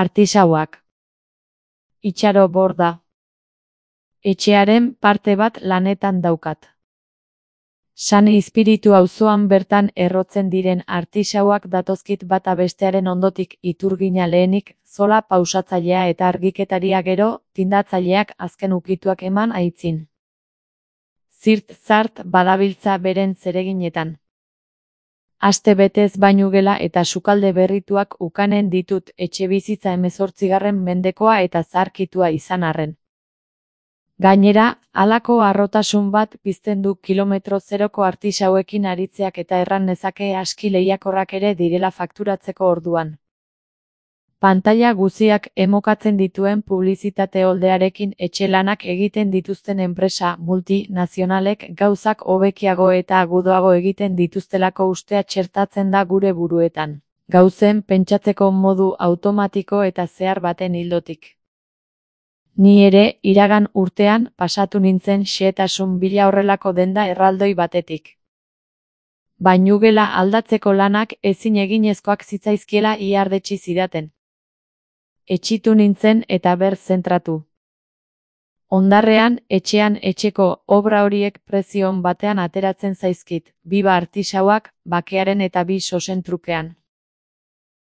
Artisauak. Itxaro borda. Etxearen parte bat lanetan daukat. San Izpiritu auzoan bertan errotzen diren artisauak datozkit bata bestearen ondotik, iturgina lehenik, zola pausatzailea eta argiketaria gero, tindatzaileak azken ukituak eman aitzin. Zirt-zart badabiltza beren zereginetan. Aste betez bainugela eta sukalde berrituak ukanen ditut etxebizitza 18. mendekoa eta zaharkitua izan arren. Gainera, halako harrotasun bat pizten du kilometro zeroko artisauekin aritzeak eta erran nezake aski lehiakorrak ere direla fakturatzeko orduan. Pantaila guziak emokatzen dituen publizitate oldearekin etxe lanak egiten dituzten enpresa multinazionalek gauzak hobekiago eta agudoago egiten dituztelako ustea txertatzen da gure buruetan. Gauzen pentsatzeko modu automatiko eta zehar baten ildotik. Ni ere, iragan urtean, pasatu nintzen xehetasun bila horrelako denda erraldoi batetik. Bainugela aldatzeko lanak ezin eginezkoak zitzaizkiela iardetsi zidaten. Etxitu nintzen eta ber zentratu. Ondarrean, etxean etxeko obra horiek prezio on batean ateratzen zaizkit, biba artisauak, bakearen eta bi sosen trukean.